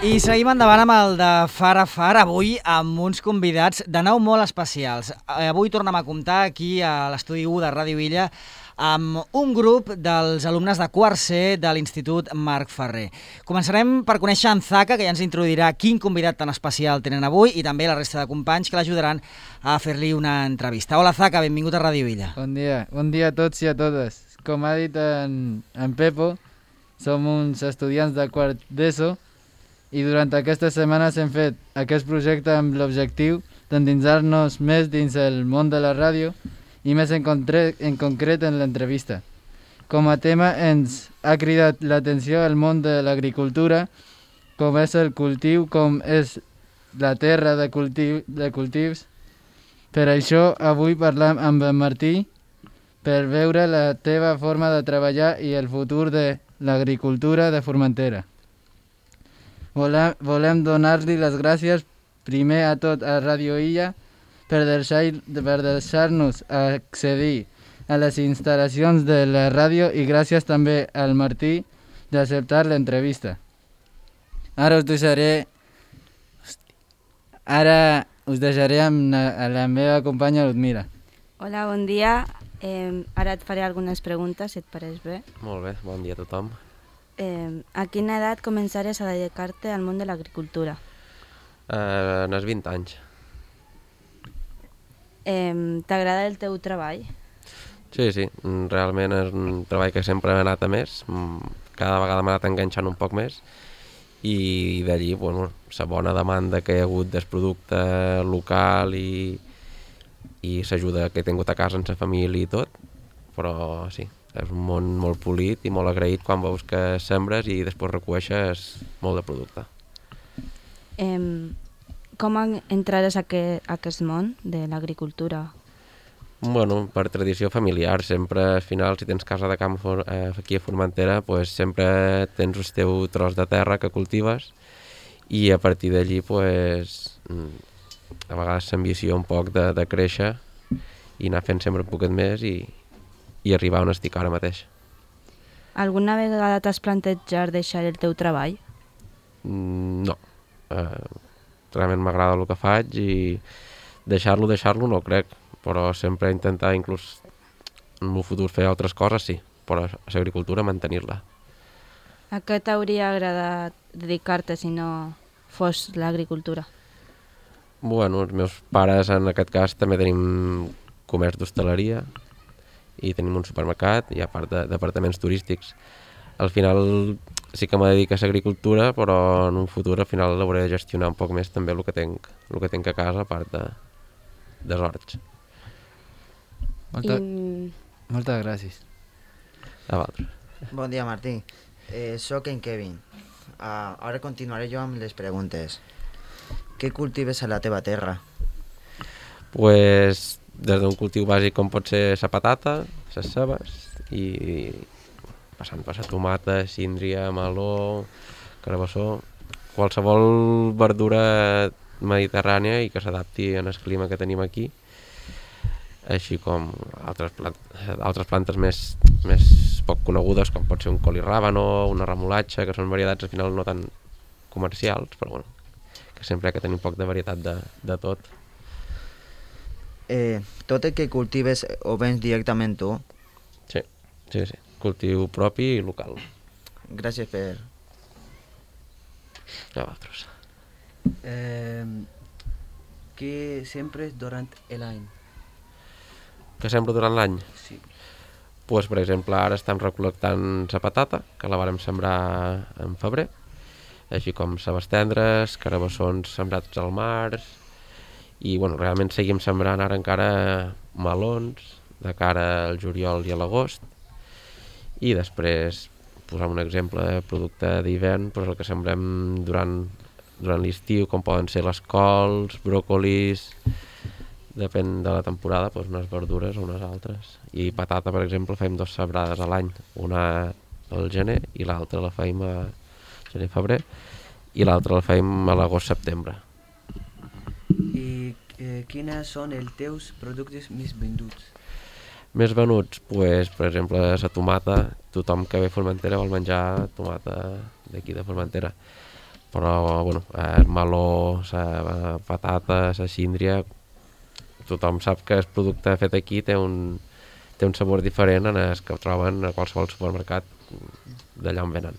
I seguim endavant amb el de Far a Far, avui amb uns convidats de nou molt especials. Avui tornem a comptar aquí a l'estudi 1 de Ràdio Illa amb un grup dels alumnes de quart C de l'Institut Marc Ferrer. Començarem per conèixer en Zaka, que ja ens introduirà quin convidat tan especial tenen avui, i també la resta de companys que l'ajudaran a fer-li una entrevista. Hola Zaka, benvingut a Ràdio Illa. Bon dia a tots i a totes. Com ha dit en Pepo, som uns estudiants de quart d'ESO i durant aquestes setmanes hem fet aquest projecte amb l'objectiu d'endinsar-nos més dins el món de la ràdio i més en concret en l'entrevista. Com a tema ens ha cridat l'atenció el món de l'agricultura, com és el cultiu, com és la terra de cultius. Per això avui parlam amb en Martí per veure la teva forma de treballar i el futur de l'agricultura de Formentera. Volem donar-li les gràcies primer a tot a Ràdio Illa per deixar-nos accedir a les instal·lacions de la ràdio i gràcies també al Martí d'acceptar l'entrevista. Ara us deixaré amb la meva companya Ludmila. Hola, bon dia. Ara et faré algunes preguntes, si et pareix bé. Molt bé, bon dia a tothom. A quina edat començares a dedicar-te al món de l'agricultura? En els 20 anys. T'agrada el teu treball? Sí, realment és un treball que sempre m'ha anat a més, cada vegada m'ha anat enganxant un poc més i d'allí, bueno, la bona demanda que hi ha hagut del producte local i l'ajuda que he tingut a casa amb la família i tot, però sí, és un món molt polit i molt agraït quan veus que sembres i després recueixes molt de producte. Com entrares a aquest món de l'agricultura? Bueno, per tradició familiar, sempre al final si tens casa de camp aquí a Formentera, pues sempre tens el teu tros de terra que cultives i a partir d'allí pues, a vegades s'ambició un poc de créixer i anar fent sempre un poquet més i arribar on estic ara mateix. Alguna vegada t'has plantejat deixar el teu treball? No. Realment m'agrada el que faig i deixar-lo no crec, però sempre intentar inclús en el futur fer altres coses sí, però a l'agricultura mantenir-la. A què t'hauria agradat dedicar-te si no fos l'agricultura? Bueno, els meus pares en aquest cas també tenim comerç d'hostaleria i tenim un supermercat i a part d'apartaments turístics. Al final sí que me dedico a l'agricultura, però en un futur al final l'hauré de gestionar un poc més també el que tinc a casa a part dels horts. Moltes gràcies. A vosaltres. Bon dia, Martí. Soc en Kevin. Ara continuaré jo amb les preguntes. Què cultives a la teva terra? Pues, des d'un cultiu bàsic com pot ser la patata, les cebes i passant per la tomata, síndria, meló, carabassó, qualsevol verdura mediterrània i que s'adapti al clima que tenim aquí, així com altres plantes més poc conegudes com pot ser un col i ràbano, una remolatxa, que són varietats al final no tan comercials, però bueno, que sempre hi ha que tenir un poc de varietat de tot. Tot el que cultives ho vens directament tu? Sí. Cultiu propi i local. Gràcies per... A vosaltres. ¿Qué siembres durante el año? Que sembro durant l'any? Sí. Pues, per exemple, ara estem recol·lectant la patata, que la vàrem sembrar en febrer, així com cebes tendres, carabassons sembrats al març, i bueno, realment seguim sembrant ara encara melons de cara al juliol i a l'agost, i després posar un exemple de producte d'hivern, doncs el que sembrem durant l'estiu, com poden ser les cols, bròcolis, depèn de la temporada, doncs unes verdures o unes altres. I patata, per exemple, fem 2 sembrades a l'any, una al gener i l'altra la fem a gener-febrer i l'altra la fem a l'agost-setembre. I quins són els teus productes més venduts? Més venuts, pues, per exemple, la tomata. Tothom que ve a Formentera vol menjar tomata d'aquí de Formentera. Però, bueno, el meló, la patata, la síndria, tothom sap que el producte fet aquí té un sabor diferent en el que troben a qualsevol supermercat d'allà on venen.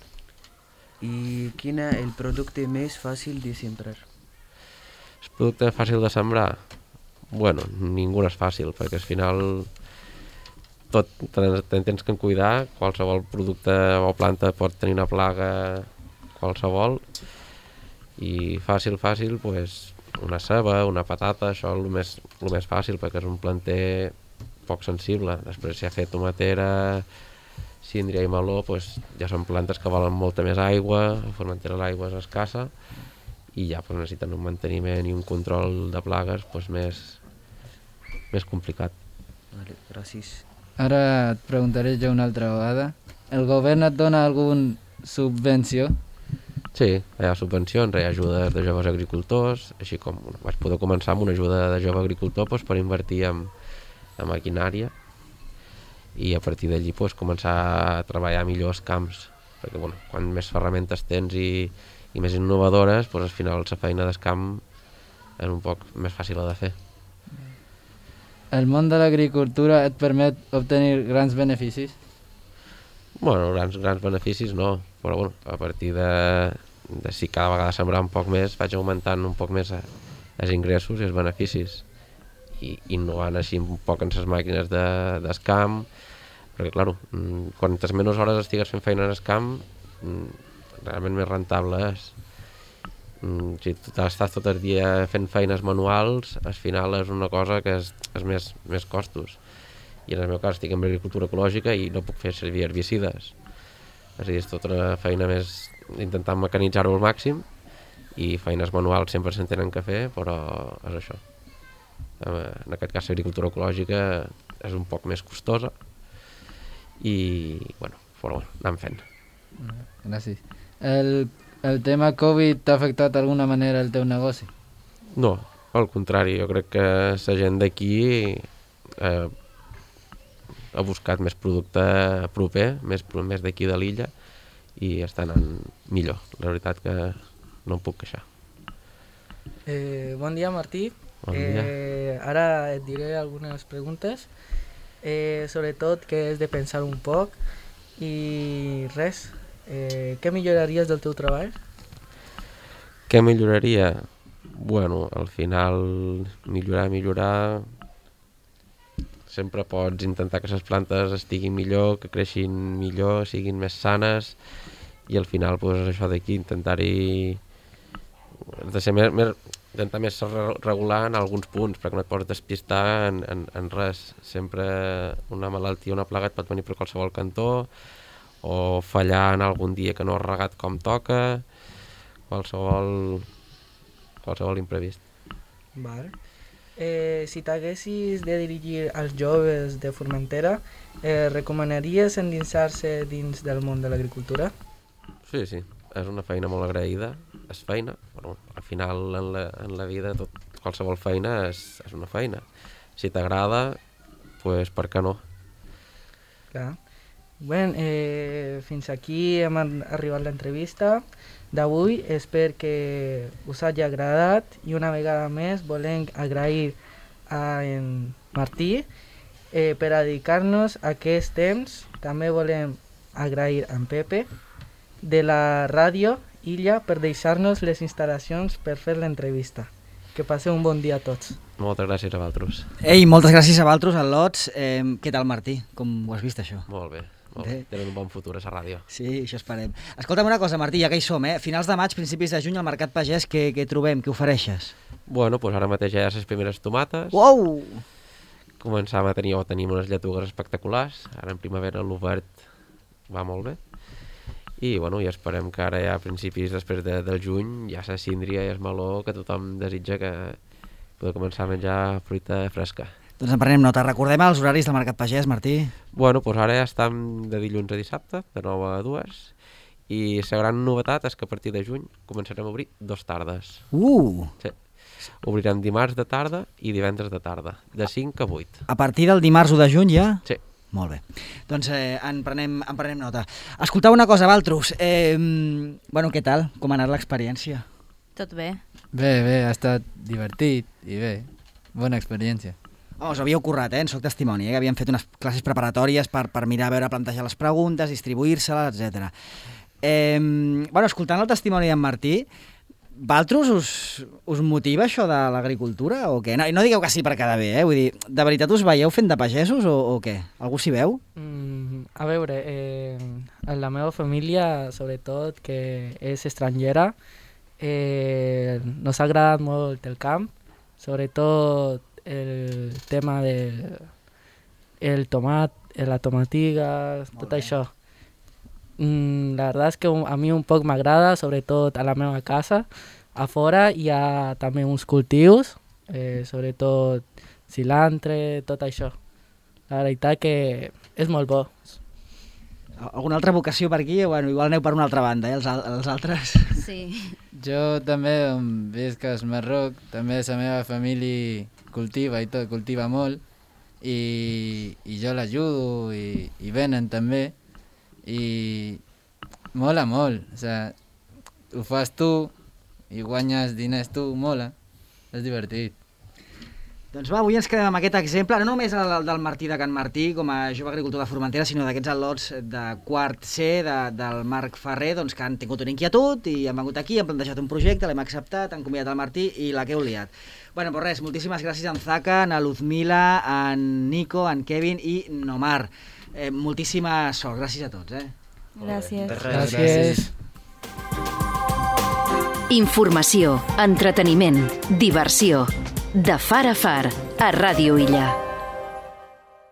I quin és el producte més fàcil de sembrar? El producte fàcil de sembrar? Bueno, ningú és fàcil, perquè al final tot tens que cuidar, qualsevol producte o planta pot tenir una plaga qualsevol, i fàcil, pues, una ceba, una patata, això és el més fàcil, perquè és un planter poc sensible. Després, si ha fet tomatera, síndria i meló, pues, ja són plantes que volen molta més aigua, la formentera l'aigua és escassa, i ja pues, necessiten un manteniment i un control de plagues pues, més complicat. Vale, gràcies. Ara et preguntaré jo una altra vegada. El govern et dona alguna subvenció? Sí, hi ha subvencions, hi ha ajudes de joves agricultors, així com vaig poder començar amb una ajuda de jove agricultor pues, per invertir en maquinària, i a partir d'allí pues, començar a treballar millor els camps, perquè bueno, quan més ferramentes tens i més innovadores, pues, al final la feina del camp és un poc més fàcil de fer. El món de l'agricultura et permet obtenir grans beneficis? Bueno, grans beneficis no, però bueno, a partir de si cada vegada sembrar un poc més, vaig augmentant un poc més els ingressos i els beneficis, i innovant així un poc en les màquines del camp, perquè clar, quantes menys hores estigues fent feina en el camp, realment més rentable és. Si tu estàs tot el dia fent feines manuals, al final és una cosa que és més costos. I en el meu cas estic en agricultura ecològica i no puc fer servir herbicides. És a dir, és tota una feina més intentant mecanitzar-ho al màxim, i feines manuals sempre se'n tenen que fer, però és això. En aquest cas l'agricultura ecològica és un poc més costosa i, bueno, però anem fent. Gràcies. El tema Covid t'ha afectat d'alguna manera el teu negoci? No, al contrari, jo crec que la gent d'aquí ha buscat més producte proper, més d'aquí de l'illa, i està anant millor. La veritat que no em puc queixar. Bon dia, Martí. Bon dia. Ara et diré algunes preguntes, sobretot que és de pensar un poc, i res, què milloraries del teu treball? Què milloraria? Bueno, al final millorar... Sempre pots intentar que les plantes estiguin millor, que creixin millor, siguin més sanes, i al final pues, això d'aquí, intentar-hi... de ser intentar més regular en alguns punts, perquè no et pots despistar en res. Sempre una malaltia, una plaga et pot venir per qualsevol cantó, o fallar en algun dia que no has regat com toca, qualsevol imprevist. Vale. Si t'haguessis de dirigir als joves de Formentera, recomanaries endinsar-se dins del món de l'agricultura? Sí, és una feina molt agraïda, és feina, però al final en la vida qualsevol feina és una feina. Si t'agrada, pues per què no? Clar. Bé, fins aquí hem arribat a l'entrevista d'avui. Espero que us hagi agradat, i una vegada més volem agrair a en Martí per a dedicar-nos a aquest temps. També volem agrair a en Pepe de la ràdio Illa per deixar-nos les instal·lacions per fer l'entrevista. Que passeu un bon dia a tots. Moltes gràcies a vosaltres. Ei, moltes gràcies a vosaltres, al Lots. Què tal, Martí? Com ho has vist, això? Molt bé. Tenen un bon futur a la ràdio. Sí, això esperem. Escolta'm una cosa, Martí, ja que hi som, finals de maig, principis de juny, al Mercat Pagès, què trobem, què ofereixes? Bueno, doncs ara mateix ja hi ha les primeres tomates. Uau! Tenim unes lletugues espectaculars. Ara en primavera l'obert va molt bé. I bueno, ja esperem que ara ja a principis després del juny ja la síndria i el meló, que tothom desitja que poder començar a menjar fruita fresca. Doncs en prenem nota. Recordem els horaris del Mercat Pagès, Martí. Bueno, doncs ara ja estem de dilluns a dissabte, de 9 a 2, i la gran novetat és que a partir de juny començarem a obrir 2 tardes. Sí. Obrirem dimarts de tarda i divendres de tarda, de 5 a 8. A partir del dimarts 1 de juny ja? Sí. Molt bé. Doncs en prenem nota. Escoltau una cosa, Valtrus. Bueno, què tal? Com ha anat l'experiència? Tot bé. Bé, ha estat divertit i bé, bona experiència. Us havíeu currat, en soc testimoni, que havien fet unes classes preparatòries per mirar, veure, plantejar les preguntes, distribuir-se-les, etc. Bueno, escoltant el testimoni d'en Martí, Valtrus us motiva això de l'agricultura o què? No digueu que sí per quedar bé, vull dir, de veritat us veieu fent de pagesos o què? Algú s'hi veu? A veure, en la meva família, sobretot, que és estrangera, nos ha agradat molt el camp, sobretot el tema del tomat, la tomatiga, tot això. La verdad es que a mi un poc m'agrada, sobretot a la meva casa. A fora hi ha també uns cultius, sobretot cilantre, tot això. La veritat que és molt bo. Alguna altra vocació per aquí? Bueno, igual aneu per una altra banda, els altres. Sí. Jo també, on visc al Marroc, també la meva família cultiva i tot, cultiva molt, i jo l'ajudo i venen també, i mola molt, o sigui, ho fas tu i guanyes diners tu, mola, és divertit. Doncs va, avui ens quedem amb aquest exemple, no només el del Martí de Can Martí com a jove agricultor de Formentera, sinó d'aquests al·lots de quart C del Marc Ferrer, doncs, que han tingut una inquietud i han vengut aquí, han plantejat un projecte, l'hem acceptat, han convidat el Martí i la que heu liat. Bueno, pues res, moltíssimes gràcies a en Zaka, a Luzmila, a en Nico, a en Kevin i Nomar. Moltíssima sort, gràcies a tots. Gràcies. Gràcies. Informació, entreteniment, diversió. De far a far, a Ràdio Illa.